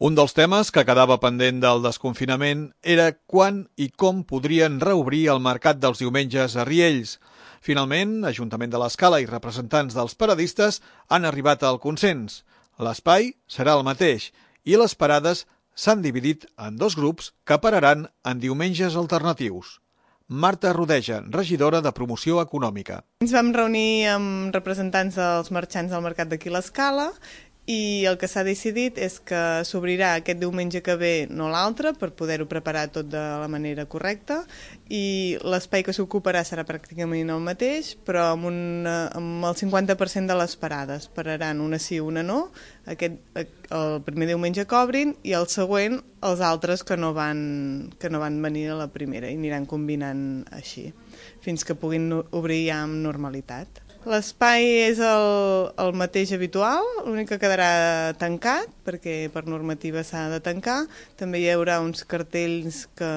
Un dels temes que quedava pendent del desconfinament era quan i com podrien reobrir el mercat dels diumenges a Riells. Finalment, Ajuntament de l'Escala i representants dels paradistes han arribat al consens. L'espai serà el mateix i les parades s'han dividit en dos grups que pararan en diumenges alternatius. Marta Rodeja, regidora de Promoció Econòmica. Ens vam reunir amb representants dels marxants del mercat d'aquí l'Escala i el que s'ha decidit és que s'obrirà aquest diumenge que ve, no l'altre, per poder-ho preparar tot de la manera correcta, i l'espai que s'ocuparà serà pràcticament el mateix, però amb el 50% de les parades. Pararan una sí, una no, el primer diumenge que obrin, i el següent els altres que no van venir a la primera, i aniran combinant així, fins que puguin obrir ja amb normalitat. L'espai és el mateix habitual, l'únic que quedarà tancat, perquè per normativa s'ha de tancar. També hi haurà uns cartells que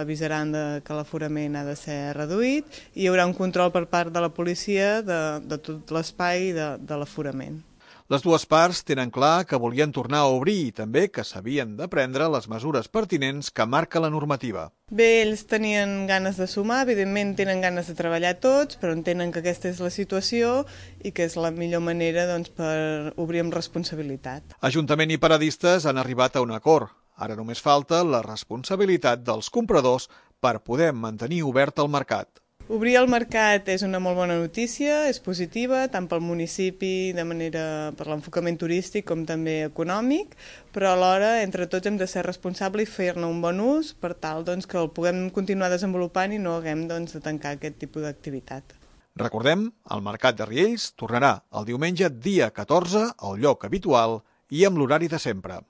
avisaran que l'aforament ha de ser reduït i hi haurà un control per part de la policia de tot l'espai de l'aforament. Les dues parts tenen clar que volien tornar a obrir i també que s'havien de prendre les mesures pertinents que marca la normativa. Bé, ells tenien ganes de sumar, evidentment tenen ganes de treballar tots, però entenen que aquesta és la situació i que és la millor manera per obrir amb responsabilitat. Ajuntament i paradistes han arribat a un acord. Ara només falta la responsabilitat dels compradors per poder mantenir obert el mercat. Obrir el mercat és una molt bona notícia, és positiva, tant pel municipi, per l'enfocament turístic com també econòmic, però alhora, entre tots, hem de ser responsables i fer-ne un bon ús per tal que el puguem continuar desenvolupant i no haguem de tancar aquest tipus d'activitat. Recordem, el mercat de Riells tornarà el diumenge dia 14 al lloc habitual i amb l'horari de sempre.